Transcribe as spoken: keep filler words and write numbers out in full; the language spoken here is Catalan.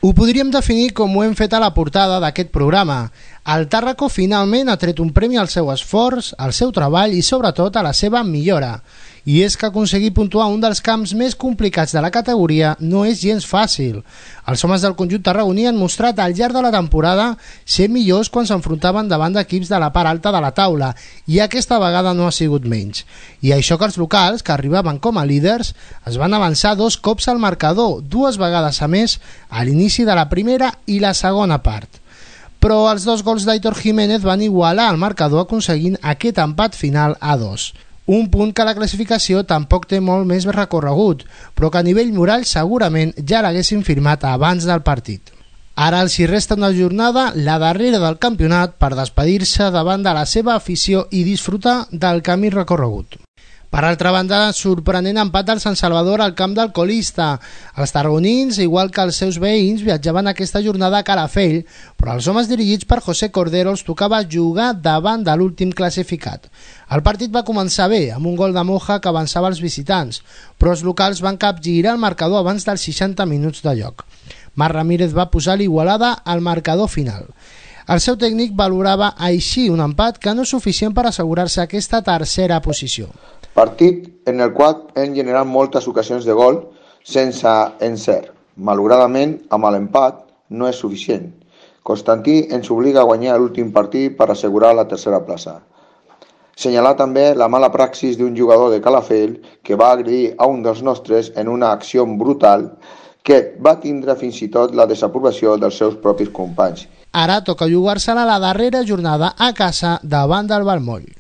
Ho podríem definir com ho hem fet a la portada d'aquest programa. El Tàrraco finalment ha tret un premi al seu esforç, al seu treball i sobretot a la seva millora. I és que aconseguir puntuar un dels camps més complicats de la categoria no és gens fàcil. Els homes del conjunt tarragoní han mostrat al llarg de la temporada ser millors quan s'enfrontaven davant d'equips de la part alta de la taula, i aquesta vegada no ha sigut menys. I això que els locals, que arribaven com a líders, es van avançar dos cops al marcador, dues vegades a més, a l'inici de la primera i la segona part. Però els dos gols d'Aitor Jiménez van igualar el marcador aconseguint aquest empat final a dos. Un punt que a la classificació tampoc té molt més recorregut, però que a nivell moral segurament ja l'haguessin firmat abans del partit. Ara els hi resta una jornada, la darrera del campionat, per despedir-se davant de la seva afició i disfrutar del camí recorregut. Per altra banda, sorprenent empat del Sant Salvador al camp del colista. Els tarragonins, igual que els seus veïns, viatjaven aquesta jornada a Calafell, però als homes dirigits per José Cordero els tocava jugar davant de l'últim classificat. El partit va començar bé, amb un gol de Moja que avançava els visitants, però els locals van capgirar el marcador abans dels seixanta minuts de joc. Marc Ramírez va posar l'igualada al marcador final. El seu tècnic valorava així un empat que no és suficient per assegurar-se aquesta tercera posició. Partit en el qual hem generat moltes ocasions de gol sense encert. Malauradament, amb l'empat no és suficient. Constantí ens obliga a guanyar l'últim partit per assegurar la tercera plaça. Senyalar també la mala praxis d'un jugador de Calafell que va agredir a un dels nostres en una acció brutal que va tindre fins i tot la desaprovació dels seus propis companys. Ara toca jugar-se-la la darrera jornada a casa davant del Balmoll.